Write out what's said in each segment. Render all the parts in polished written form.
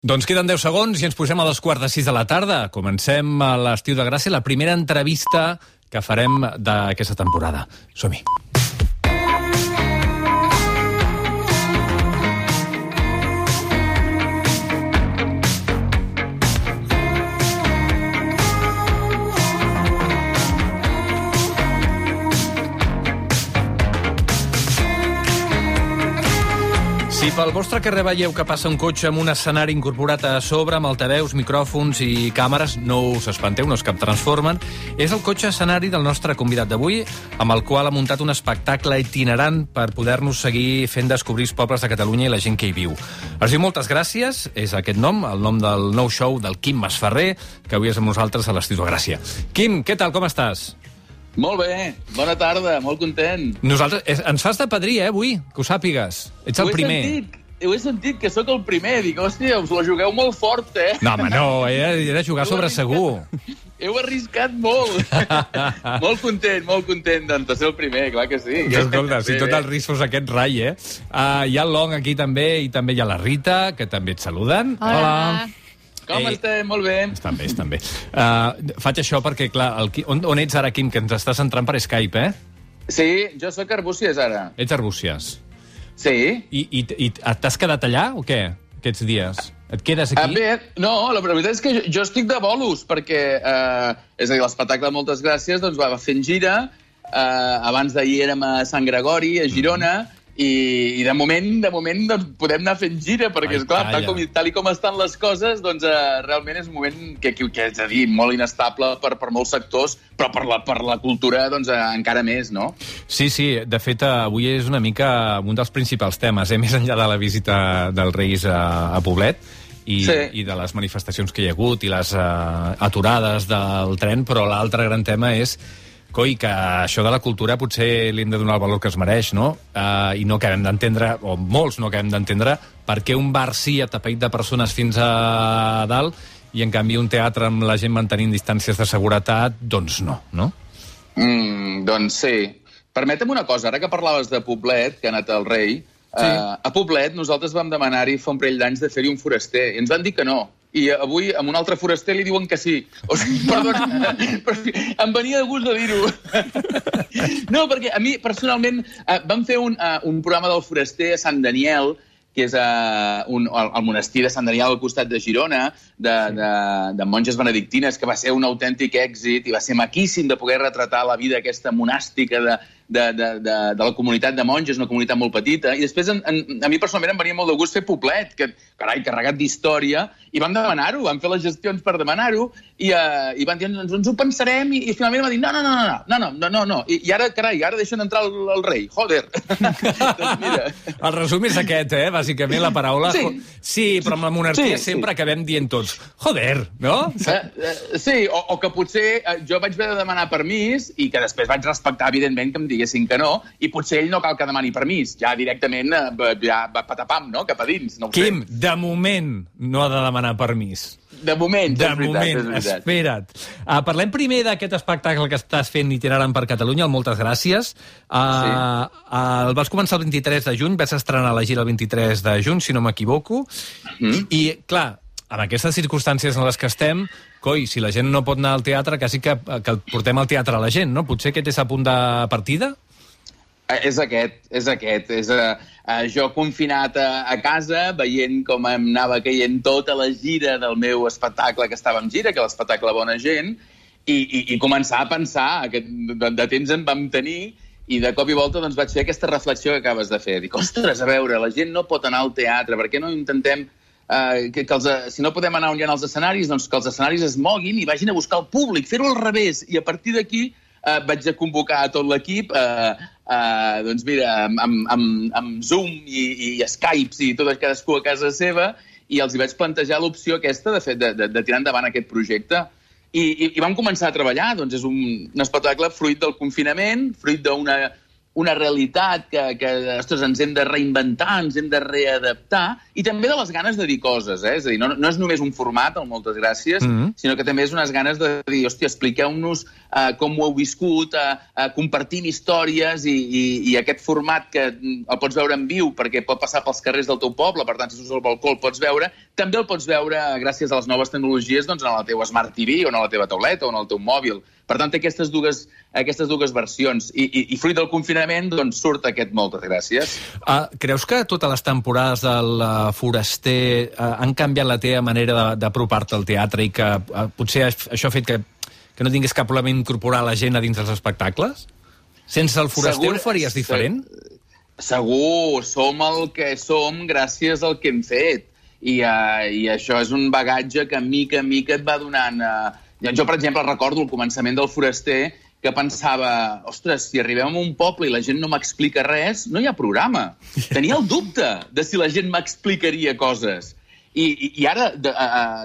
Doncs queden 10 segons i ens posem a 2:45 de la tarda. Comencem a l'Estiu de Gràcia, la primera entrevista que farem d'aquesta temporada. Som-hi. Si pel vostre carrer veieu que passa un cotxe amb un escenari incorporat a sobre, amb altaveus, micròfons i càmeres, no us espanteu, no és cap Transformen. És el cotxe escenari del nostre convidat d'avui, amb el qual ha muntat un espectacle itinerant per poder-nos seguir fent descobrir els pobles de Catalunya i la gent que hi viu. Es diu Moltes Gràcies, és aquest nom, el nom del nou show del Quim Masferrer, que avui és amb nosaltres a l'Estiu de Gràcia. Quim, què tal, com estàs? Molt bé, bona tarda, molt content. Nosaltres, ens fas de padrí, avui, que ho sàpigues. Ets el primer. Ho he sentit, que sóc el primer. Dic, hòstia, us la jugueu molt fort, eh? No, home, no, era jugar sobre segur. Heu arriscat molt. Molt content de ser el primer, clar que sí. Escolta, si tot el risc fos aquest rai, eh? Hi ha el Long aquí també, i també hi ha la Rita, que també et saluden. Hola. Com estem? Molt bé. Estan bé. Faig això perquè, clar, on ets ara, Quim, que ens estàs entrant per Skype, eh? Sí, jo sóc a Arbúcies, ara. Ets a Arbúcies. Sí. I t'has quedat allà, o què, aquests dies? Et quedes aquí? Bé, no, la veritat és que jo estic de bolos, perquè, és a dir, l'espectacle Moltes Gràcies doncs, va fent gira. Abans d'ahir érem a Sant Gregori, a Girona, i de moment doncs, podem anar fent gira, perquè, esclar, tal com estan les coses, doncs realment és un moment que és a dir, molt inestable per molts sectors, però per la cultura doncs, encara més, no? Sí, de fet, avui és una mica un dels principals temes, més enllà de la visita dels Reis a Poblet, i de les manifestacions que hi ha hagut i les aturades del tren, però l'altre gran tema és coi, que això de la cultura potser li hem de donar el valor que es mereix, no? I no acabem d'entendre, o molts no acabem d'entendre, per què un bar sí atapeït de persones fins a dalt i, en canvi, un teatre amb la gent mantenint distàncies de seguretat, doncs no, no? Doncs sí. Permetem una cosa, ara que parlaves de Poblet, que ha anat el rei, a Poblet nosaltres vam demanar-hi fa un parell d'anys de fer-hi un foraster, i ens van dir que no. I avui, amb un altre foraster, li diuen que sí. O sigui, perdona, però em venia de gust de dir-ho. No, perquè a mi, personalment, vam fer un programa del foraster a Sant Daniel, que és el monestir de Sant Daniel al costat de Girona, de monges benedictines, que va ser un autèntic èxit i va ser maquíssim de poder retratar la vida aquesta monàstica de la comunitat de monges, una comunitat molt petita. I després, a mi personalment em venia molt de gust fer Poblet, que, carai, carregat d'història, i vam demanar-ho, vam fer les gestions per demanar-ho, i van dir, ens ho pensarem, i finalment va dir, no. I ara, carai, ara deixen entrar el rei, joder. Doncs mira. El resum és aquest, bàsicament, la paraula. Sí, però amb la monarquia sempre acabem dient tots, joder, no? Sí, o que potser jo vaig haver de demanar permís i que després vaig respectar, evidentment, que em diguessin que no, i potser ell no cal que demani permís. Ja directament ja va patapam, no? Cap a dins. No ho sé. Quim, de moment no ha de demanar permís. De moment, és veritat. Espera't. Parlem primer d'aquest espectacle que estàs fent itinerant per Catalunya, el Moltes Gràcies. El vas començar el 23 de juny, vas estrenar la gira el 23 de juny, si no m'equivoco. I, clar, en aquestes circumstàncies en les que estem, coi, si la gent no pot anar al teatre, quasi que portem al teatre a la gent, no? Potser aquest és a punt de partida? És aquest. Jo confinat a casa, veient com em anava caient tota la gira del meu espectacle que estava en gira, que l'espectacle Bona Gent, i començar a pensar que de temps en vam tenir, i de cop i volta doncs, vaig fer aquesta reflexió que acabes de fer. Dic, ostres, a veure, la gent no pot anar al teatre, per què no intentem si no podem anar on hi ha els escenaris, doncs que els escenaris es moguin i vagin a buscar el públic, fer-ho al revés, i a partir d'aquí vaig a convocar a tot l'equip, doncs mira, amb Zoom i Skypes i tot cadascú a casa seva, i els hi vaig plantejar l'opció aquesta de tirar endavant aquest projecte. I vam començar a treballar, doncs és un espectacle fruit del confinament, fruit una realitat que ostres, ens hem de reinventar, ens hem de readaptar, i també de les ganes de dir coses, És a dir, no és només un format, el Moltes Gràcies, sinó que també és unes ganes de dir, hòstia, expliqueu-nos com ho heu viscut, compartim històries, i aquest format que el pots veure en viu perquè pot passar pels carrers del teu poble, per tant, si surts al balcó el pots veure, també el pots veure gràcies a les noves tecnologies doncs, en la teva Smart TV, o en la teva tauleta, o en el teu mòbil. Per tant, té aquestes dues versions. I fruit del confinament, doncs, surt aquest Moltes Gràcies. Creus que totes les temporades del Foraster han canviat la teva manera d'apropar-te al teatre i que potser això ha fet que no tingués cap problema incorporar la gent a dins dels espectacles? Sense el Foraster ho faries diferent? Segur, som el que som gràcies al que hem fet. I això és un bagatge que mica en mica et va donant... Jo, per exemple, recordo al començament del Foraster que pensava, ostres, si arribem a un poble i la gent no m'explica res, no hi ha programa. Tenia el dubte de si la gent m'explicaria coses. I ara,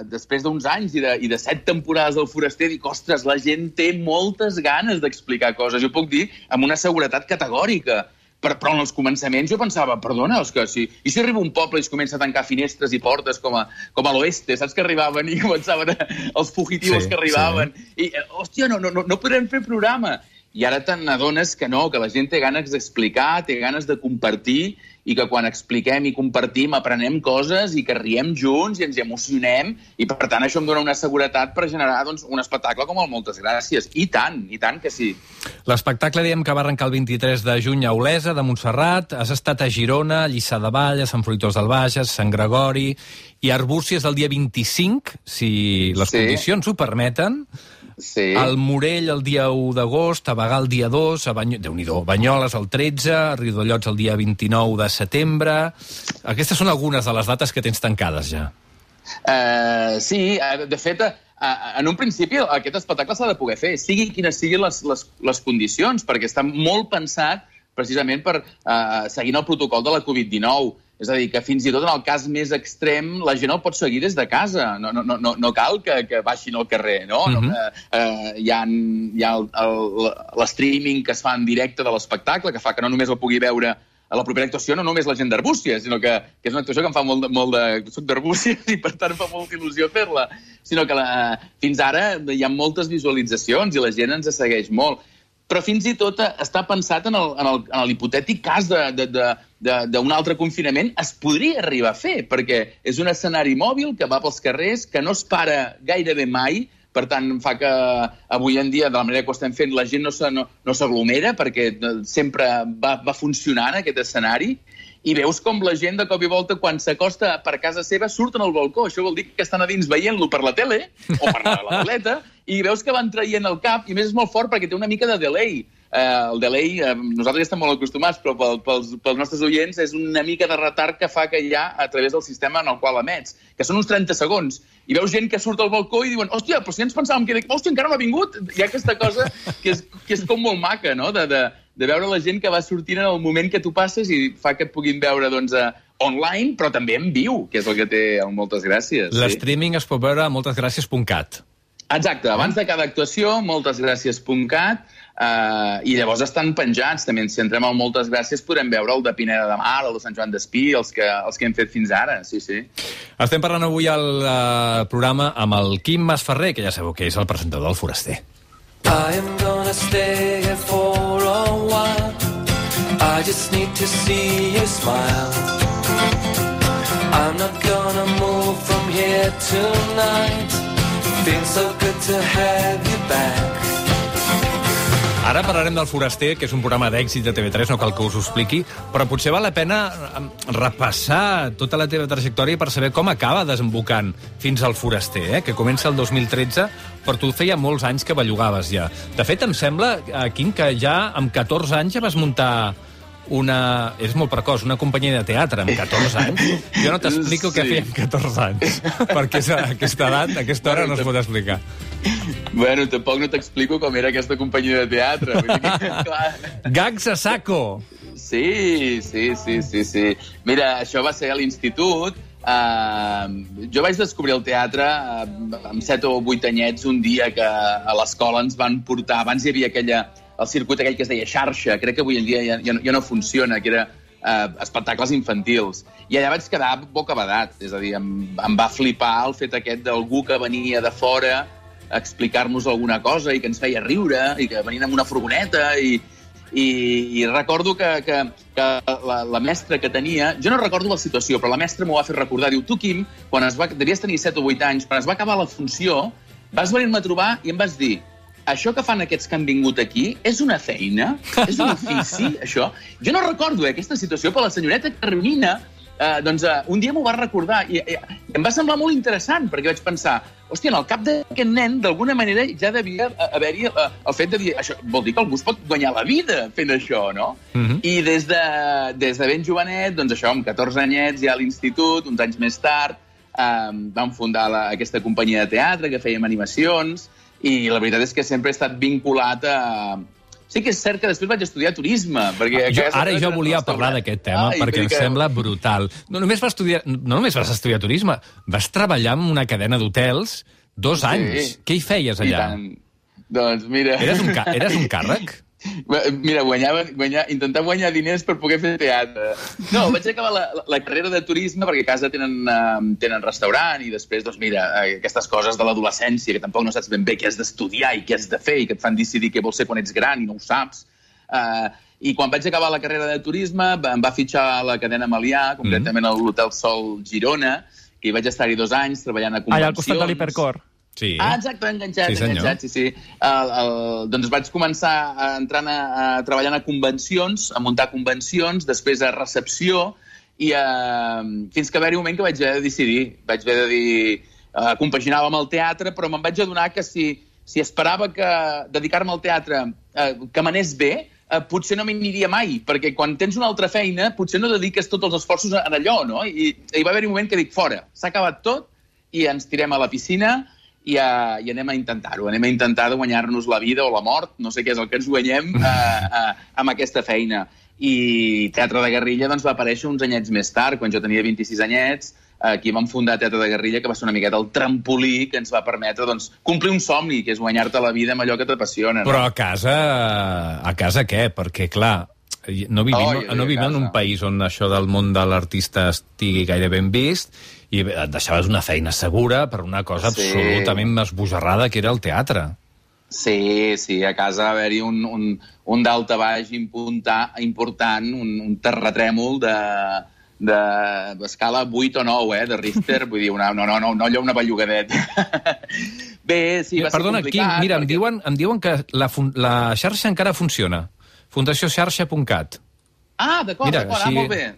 després d'uns anys i de 7 temporades del Foraster, dic, ostres, la gent té moltes ganes d'explicar coses. Jo puc dir amb una seguretat categòrica. Però en els començaments jo pensava, perdona, i si arriba un poble i es comença a tancar finestres i portes com a l'oeste, saps que arribaven i començaven els fugitivos que arribaven, i, hòstia, no podrem fer programa. I ara te n'adones que no, que la gent té ganes d'explicar, té ganes de compartir, i que quan expliquem i compartim aprenem coses i que riem junts i ens emocionem, i per tant això em dona una seguretat per generar doncs, un espectacle com el Moltes Gràcies. I tant que sí. L'espectacle diem que va arrencar el 23 de juny a Olesa, de Montserrat, has estat a Girona, a Lliçà de Vall, a Sant Fruitós del Bages, Sant Gregori, i Arbúcies el dia 25, si les condicions ho permeten. Sí. Al Morell el dia 1 d'agost, a Bagà el dia 2, Déu-n'hi-do, Banyoles el 13, a Riudellots el dia 29 de setembre... Aquestes són algunes de les dates que tens tancades ja. Sí, de fet, en un principi aquest espectacle s'ha de poder fer, sigui quines siguin les condicions, perquè està molt pensat precisament per seguint el protocol de la Covid-19. És a dir, que fins i tot en el cas més extrem la gent el pot seguir des de casa. No cal que baixin al carrer, no? Hi ha l'streaming que es fa en directe de l'espectacle, que fa que no només el pugui veure a la propera actuació, no només la gent d'Arbúcies, sinó que és una actuació que em fa molt de... Soc d'Arbúcies i, per tant, em fa molta il·lusió fer-la. Sinó que fins ara hi ha moltes visualitzacions i la gent ens segueix molt. Però fins i tot està pensat en l'hipotètic cas d'un altre confinament, es podria arribar a fer, perquè és un escenari mòbil que va pels carrers, que no es para gairebé mai, per tant, fa que avui en dia, de la manera que ho estem fent, la gent no s'aglomera, perquè sempre va funcionant aquest escenari, i veus com la gent de cop i volta, quan s'acosta per casa seva, surten al balcó. Això vol dir que estan a dins veient-lo per la tele o per la tauleta, i veus que van traient el cap, i més és molt fort perquè té una mica de delay. El delay, nosaltres ja estem molt acostumats, però pels nostres oients és una mica de retard que fa que hi ha a través del sistema en el qual emets, que són uns 30 segons. I veus gent que surt al balcó i diuen, hòstia, però si ens pensàvem que... Hòstia, encara no ha vingut? Hi ha aquesta cosa que és com molt maca, no?, de veure la gent que va sortint en el moment que tu passes i fa que et puguin veure, doncs, online, però també en viu, que és el que té el Moltes Gràcies. L'streaming es pot veure a moltesgràcies.cat. Exacte, abans de cada actuació, moltesgràcies.cat, i llavors estan penjats també. Si entrem al Moltes Gràcies podrem veure el de Pineda de Mar, el de Sant Joan d'Espí, els que hem fet fins ara, sí. Estem parlant avui al programa amb el Quim Masferrer, que ja sabeu que és el presentador del Foraster. I am gonna stay here for a while. I just need to see you smile. I'm not gonna move from here tonight. Feels so good to have you back. Ara parlarem del Foraster, que és un programa d'èxit de TV3, no cal que us ho expliqui, però potser val la pena repassar tota la teva trajectòria per saber com acaba desembocant fins al Foraster, que comença el 2013, però tu feia molts anys que bellugaves ja. De fet, em sembla, Quim, que ja amb 14 anys ja vas muntar és molt precoç, una companyia de teatre amb 14 anys. Jo no t'explico què feia amb 14 anys, perquè aquesta edat, aquesta hora no es pot explicar. Bueno, tampoc no t'explico com era aquesta companyia de teatre. Gags a saco! Sí. Mira, això va ser a l'institut. Jo vaig descobrir el teatre amb 7 o 8 anyets un dia que a l'escola ens van portar... Abans hi havia el circuit aquell que es deia xarxa, crec que avui en dia ja no funciona, que era espectacles infantils. I allà vaig quedar bocabadat, és a dir, em va flipar el fet aquest d'algú que venia de fora a explicar-nos alguna cosa i que ens feia riure, i que venien amb una furgoneta, i recordo que la mestra que tenia... Jo no recordo la situació, però la mestra m'ho va fer recordar. Diu, tu, Quim, devies tenir 7 o 8 anys, quan es va acabar la funció, vas venir-me a trobar i em vas dir: això que fan aquests que han vingut aquí és una feina? És un ofici, això? Jo no recordo aquesta situació, però la senyoreta Carmina un dia m'ho va recordar i em va semblar molt interessant, perquè vaig pensar, hòstia, en el cap d'aquest nen, d'alguna manera, ja devia haver-hi el fet de dir, això vol dir que algú es pot guanyar la vida fent això, no? I des de ben jovenet, doncs això, amb 14 anyets, ja a l'institut, uns anys més tard, vam fundar aquesta companyia de teatre, que fèiem animacions, i la veritat és que sempre he estat vinculat a... Sí que és cert que després vaig estudiar turisme, perquè... Jo volia parlar d'aquest tema, perquè em sembla brutal. No només vas estudiar turisme, vas treballar en una cadena d'hotels 2 anys. Què hi feies allà? Doncs mira... Eres un càrrec? Mira, intentar guanyar diners per poder fer teatre. No, vaig acabar la carrera de turisme perquè a casa tenen restaurant i després, doncs mira, aquestes coses de l'adolescència que tampoc no saps ben bé què has d'estudiar i què has de fer i que et fan decidir què vols ser quan ets gran i no ho saps. I quan vaig acabar la carrera de turisme em va fitxar a la cadena Melià, concretament a l'Hotel Sol Girona, que hi vaig estar-hi 2 anys treballant a convencions. Allà al costat de l'Hipercor. Sí. Exacte, enganxat, sí. Doncs vaig començar treballant a convencions, a muntar convencions, després a recepció, i fins que va haver-hi un moment que vaig haver de decidir. Vaig haver de dir... Compaginava amb el teatre, però me'n vaig adonar que si esperava dedicar-me al teatre que m'anés bé, potser no m'hi aniria mai, perquè quan tens una altra feina potser no dediques tots els esforços en allò, no? I va haver-hi un moment que dic, fora, s'ha acabat tot, i ens tirem a la piscina, i anem a intentar-ho. Anem a intentar de guanyar-nos la vida o la mort, no sé què és el que ens guanyem, amb aquesta feina. I Teatre de Guerrilla doncs, va aparèixer uns anyets més tard, quan jo tenia 26 anyets. Aquí vam fundar Teatre de Guerrilla, que va ser una miqueta el trampolí que ens va permetre doncs, complir un somni, que és guanyar-te la vida amb allò que t'apassiona. No? Però a casa què? Perquè, clar, no vivim en un país on això del món de l'artista estigui gaire ben vist, i et deixaves una feina segura per una cosa absolutament esbojarrada, que era el teatre. Sí, a casa va haver-hi un daltabaix important, un terratrèmol d'escala 8 o 9, de Richter, vull dir, no allò una bellugadeta. Bé, sí, va ser complicat. Perdona, Quim, mira, em diuen que la xarxa encara funciona. fundacionxarxa.cat. D'acord, molt bé.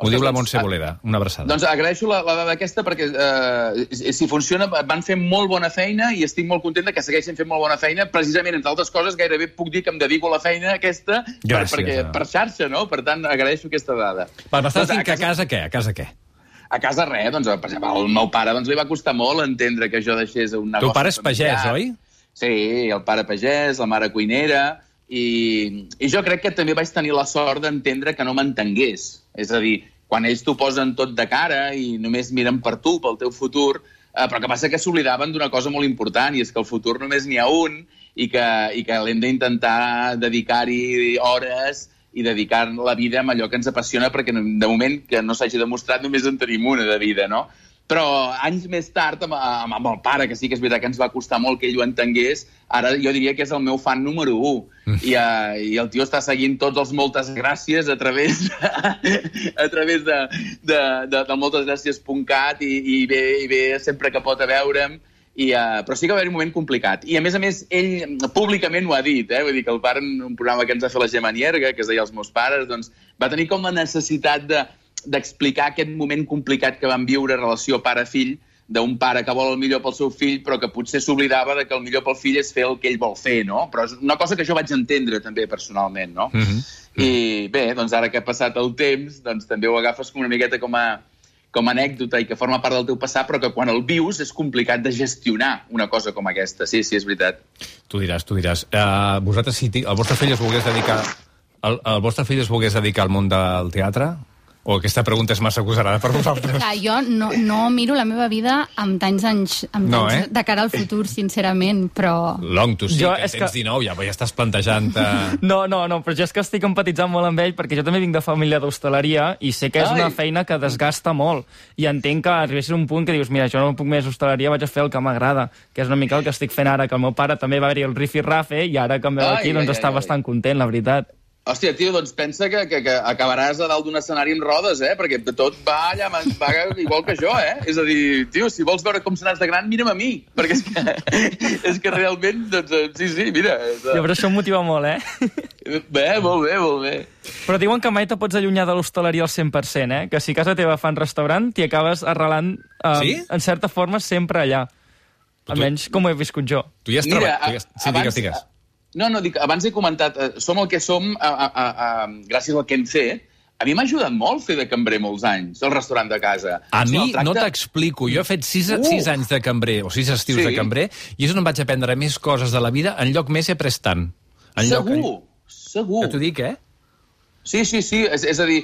Ho diu la Montse Boleda, una abraçada. Doncs agraeixo la dada aquesta perquè si funciona van fer molt bona feina i estic molt content que segueixin fent molt bona feina. Precisament, entre altres coses, gairebé puc dir que em dedico a la feina aquesta per xarxa, no? Per tant, agraeixo aquesta dada. M'estàs dient que a casa què? A casa res, doncs, per exemple, al meu pare li va costar molt entendre que jo deixés un negoci. Tu pare és pagès, oi? Sí, el pare pagès, la mare cuinera, i jo crec que també vaig tenir la sort d'entendre que no m'entengués. És a dir, quan ells t'ho posen tot de cara i només miren per tu, pel teu futur, però que passa que s'oblidaven d'una cosa molt important, i és que el futur només n'hi ha un i que l'hem d'intentar dedicar-hi hores i dedicar la vida amb allò que ens apassiona, perquè de moment que no s'hagi demostrat només en tenim una de vida, no? Però anys més tard, amb el pare, que sí que és veritat que ens va costar molt que ell ho entengués, ara jo diria que és el meu fan número 1. I el tio està seguint tots els moltes gràcies a través de moltesgràcies.cat i ve sempre que pot a veure'm. Però sí que va haver un moment complicat. I a més, ell públicament ho ha dit, vull dir que el pare, en un programa que ens va fer la Gemma Nierga, que es deia Els meus pares, doncs va tenir com la necessitat d'explicar aquest moment complicat que van viure relació pare-fill, d'un pare que vol el millor pel seu fill, però que potser s'oblidava que el millor pel fill és fer el que ell vol fer, no? Però és una cosa que jo vaig entendre també personalment, no? I bé, doncs ara que ha passat el temps, doncs també ho agafes com una miqueta com a anècdota i que forma part del teu passat, però que quan el vius és complicat de gestionar una cosa com aquesta. Sí, és veritat. Tu diràs. Vosaltres, si el vostre fill es volgués dedicar al món del teatre, O aquesta pregunta és massa agosarada per vosaltres? Clar, jo no miro la meva vida amb tants anys de cara al futur, sincerament, però... Long, tu sí, que tens 19, ja estàs plantejant... No, però jo és que estic empatitzant molt amb ell, perquè jo també vinc de família d'hostaleria i sé que és una feina que desgasta molt. I entenc que arribessis a un punt que dius, mira, jo no puc més hostaleria, vaig a fer el que m'agrada, que és una mica el que estic fent ara, que el meu pare també va haver-hi el rifirrafe i ara que em veu aquí doncs està bastant content, la veritat. Hòstia, tio, doncs pensa que acabaràs a dalt d'un escenari amb rodes, perquè tot va allà, va igual que jo, És a dir, tio, si vols veure com seràs de gran, mira'm a mi, perquè és que realment, doncs, sí, mira... Ja, però això em motiva molt, Bé, molt bé. Però diuen que mai te pots allunyar de l'hostaleria al 100%, que si a casa teva fan restaurant, t'hi acabes arrelant, en certa forma, sempre allà. Almenys com ho he viscut jo. Tu ja has treballat... Sí, digues. No, dic, abans he comentat, som el que som gràcies al que hem fet. A mi m'ha ajudat molt fer de cambrer molts anys, el restaurant de casa. A mi no t'explico. Jo he fet 6 anys de cambrer, o 6 estius de cambrer, i és on em vaig aprendre més coses de la vida, en lloc més he après tant. Segur. Que t'ho dic, Sí. És a dir,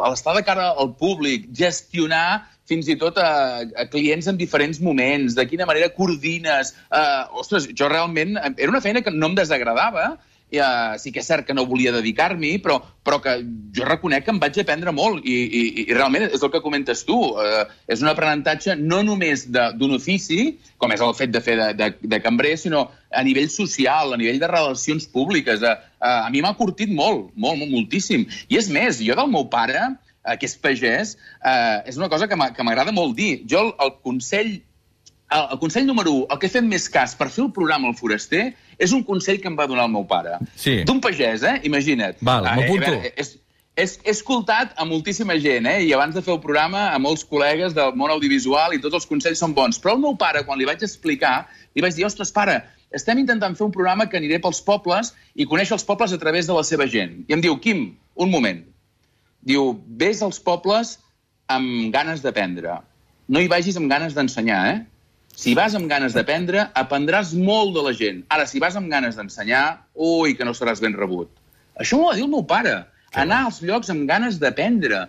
l'estar de cara al públic, gestionar fins i tot a clients en diferents moments, de quina manera coordines... Ostres, jo realment... Era una feina que no em desagradava, sí que és cert que no volia dedicar-m'hi, però que jo reconec que em vaig aprendre molt, i realment és el que comentes tu. És un aprenentatge no només d'un ofici, com és el fet de fer de cambrer, sinó a nivell social, a nivell de relacions públiques. A mi m'ha curtit moltíssim. I és més, jo del meu pare, que és pagès, és una cosa que m'agrada molt dir. Jo el consell número 1, el que he fet més cas per fer el programa El Foraster, és un consell que em va donar el meu pare. Sí. D'un pagès, imagina't. Val, m'apunto. He escoltat a moltíssima gent, i abans de fer el programa a molts col·legues del món audiovisual i tots els consells són bons. Però el meu pare, quan li vaig explicar, li vaig dir, ostres, pare, estem intentant fer un programa que aniré pels pobles i conèixer els pobles a través de la seva gent. I em diu, Quim, un moment. Diu, vés als pobles amb ganes d'aprendre. No hi vagis amb ganes d'ensenyar, Si vas amb ganes d'aprendre, aprendràs molt de la gent. Ara, si vas amb ganes d'ensenyar, ui, que no seràs ben rebut. Això m'ho va dir el meu pare. Anar als llocs amb ganes d'aprendre.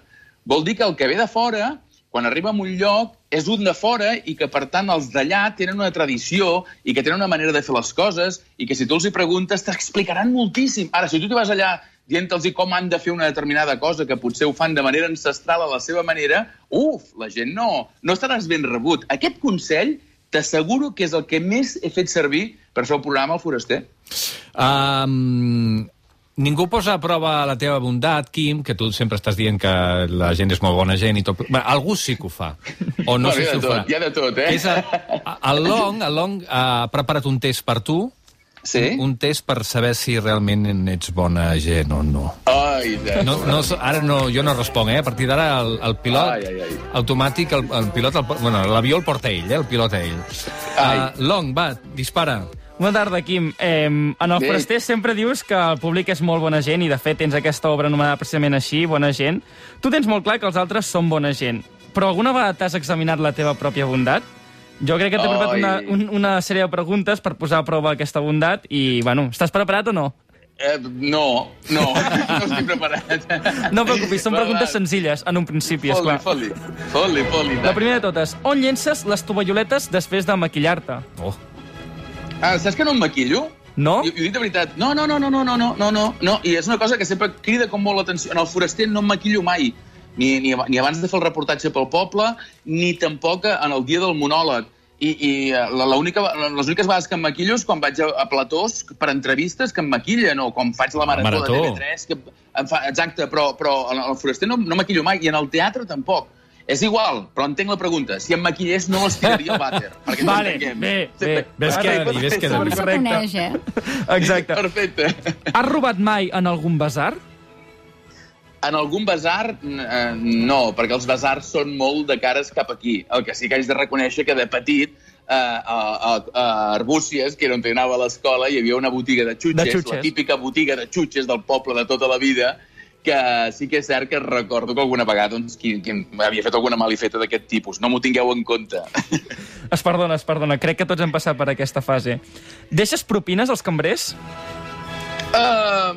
Vol dir que el que ve de fora, quan arriba a un lloc, és un de fora i que, per tant, els d'allà tenen una tradició i que tenen una manera de fer les coses i que si tu els hi preguntes t'explicaran moltíssim. Ara, si tu t'hi vas allà dient-los com han de fer una determinada cosa que potser ho fan de manera ancestral a la seva manera, la gent no estaràs ben rebut. Aquest consell t'asseguro que és el que més he fet servir per fer el programa El Foraster. Ningú posa a prova la teva bondat, Quim, que tu sempre estàs dient que la gent és molt bona gent i tot. Algú sí que ho fa. O no sé si ho farà. Hi ha de tot, El Long ha preparat un test per tu. Sí? Un test per saber si realment ets bona gent o no. Ara jo no responc, A partir d'ara el pilot automàtic, l'avió el porta ell, el pilota ell. Long, va, dispara. Bona tarda, Quim. En el Foraster sempre dius que el públic és molt bona gent i, de fet, tens aquesta obra anomenada precisament així, Bona gent. Tu tens molt clar que els altres són bona gent, però alguna vegada t'has examinat la teva pròpia bondat? Jo crec que t'he preparat una sèrie de preguntes per posar a prova aquesta bondat i, estàs preparat o no? No estic preparat. No et preocupis, són preguntes senzilles, en un principi, esclar. Fot-li. La primera de totes, on llences les tovalloletes després de maquillar-te? Saps que no em maquillo? No? I ho dic de veritat. No. I és una cosa que sempre crida com molt l'atenció. En el Foraster no em maquillo mai. Ni abans de fer el reportatge pel poble, ni tampoc en el dia del monòleg. I les úniques vegades que em maquillo és quan vaig a platós per entrevistes que em maquillen, o quan faig la marató de TV3. Exacte, però en el Foraster no maquillo mai, i en el teatre tampoc. És igual, però entenc la pregunta. Si em maquillés no estiraria el vàter. Vale, bé. Ves que Com se coneix, Exacte. Perfecte. Has robat mai en algun basar? En algun basar, no, perquè els basars són molt de cares cap aquí. El que sí que haig de reconèixer que de petit, a Arbúcies, que era on anava a l'escola, hi havia una botiga de xutxes, la típica botiga de xutxes del poble de tota la vida, que sí que és cert que recordo que alguna vegada qui havia fet alguna malifeta d'aquest tipus. No m'ho tingueu en compte. Es perdona. Crec que tots hem passat per aquesta fase. Deixes propines als cambrers?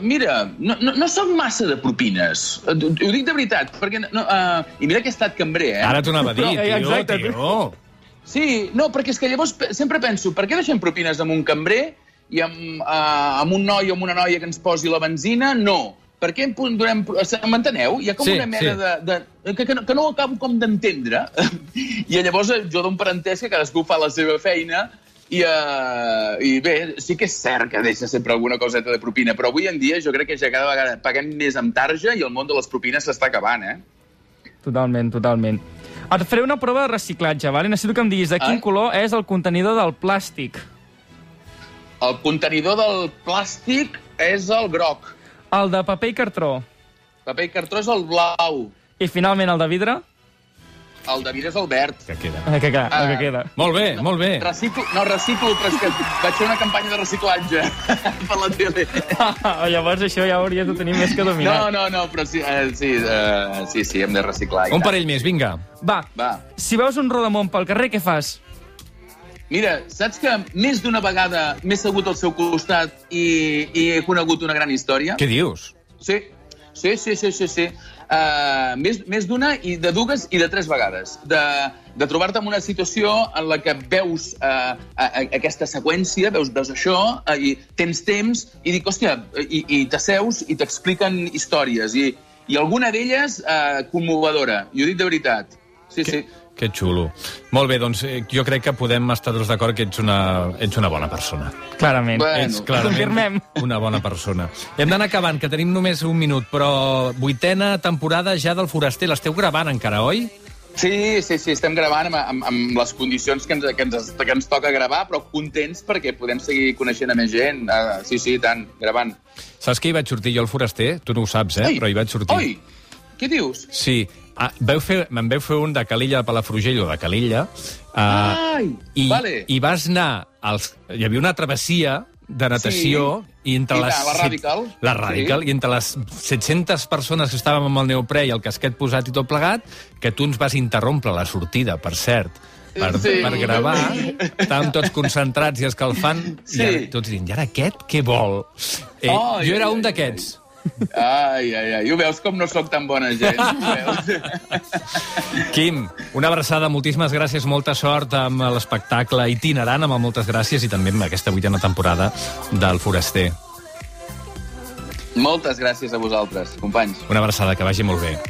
mira, no soc massa de propines. Ho dic de veritat, perquè... I mira que he estat cambrer, Ara t'ho anava a dir, tio. Sí, no, perquè és que llavors sempre penso, per què deixem propines amb un cambrer i amb un noi o amb una noia que ens posi la benzina? No. Per què donem... M'enteneu? Hi ha com una mena de... que no ho acabo com d'entendre. I llavors jo dono per entès que cadascú fa la seva feina i bé, sí que és cert que deixa sempre alguna coseta de propina, però avui en dia jo crec que ja cada vegada paguem més amb tarja i el món de les propines s'està acabant, Totalment. Et faré una prova de reciclatge, vale? Necessito que em diguis de quin color és el contenidor del plàstic. El contenidor del plàstic és el groc. El de paper i cartró. Paper i cartró és el blau. I finalment el de vidre? El de vidre és el verd. Que queda. El que queda. Molt bé. Reciclo, però és que vaig fer una campanya de reciclatge per la tele. Llavors això ja hauries de tenir més que dominat. No, però sí, hem de reciclar. Un parell més, vinga. Va. Si veus un rodamón pel carrer, què fas? Mira, saps que més d'una vegada m'he segut al seu costat i he conegut una gran història? Què dius? Sí. Més d'una i de dues i de tres vegades. De trobar-te en una situació en la que veus aquesta seqüència, veus això, i tens temps, i dic, hòstia, i t'asseus i t'expliquen històries. I alguna d'elles commovedora. I ho dic de veritat. Sí. Que xulo. Molt bé, doncs jo crec que podem estar tots d'acord que ets una bona persona. Clarament. Bueno. Ets clarament una bona persona. Hem d'anar acabant, que tenim només un minut, però 8ª temporada ja del Foraster. L'esteu gravant encara, oi? Sí, estem gravant amb les condicions que ens toca gravar, però contents perquè podem seguir coneixent a més gent. Sí, tant, gravant. Saps que hi vaig sortir jo al Foraster? Tu no ho saps, però hi vaig sortir. Oi, què dius? Sí. Me'n vau fer un de Calella a Palafrugell o de Calella. Vale. I vas anar... Hi havia una travessia de natació i entre la Radical. La Radical, i entre les 700 persones que estàvem amb el neoprè i el casquet posat i tot plegat, que tu ens vas interrompre la sortida, per cert, per gravar. Estàvem tots concentrats i escalfant, i tots dient, i ara aquest què vol? Jo era un d'aquests. Ai. Ho veus com no sóc tan bona gent? Quim, una abraçada, moltíssimes gràcies, molta sort amb l'espectacle itinerant, amb moltes gràcies, i també amb aquesta 8ª temporada del Foraster. Moltes gràcies a vosaltres, companys. Una abraçada, que vagi molt bé.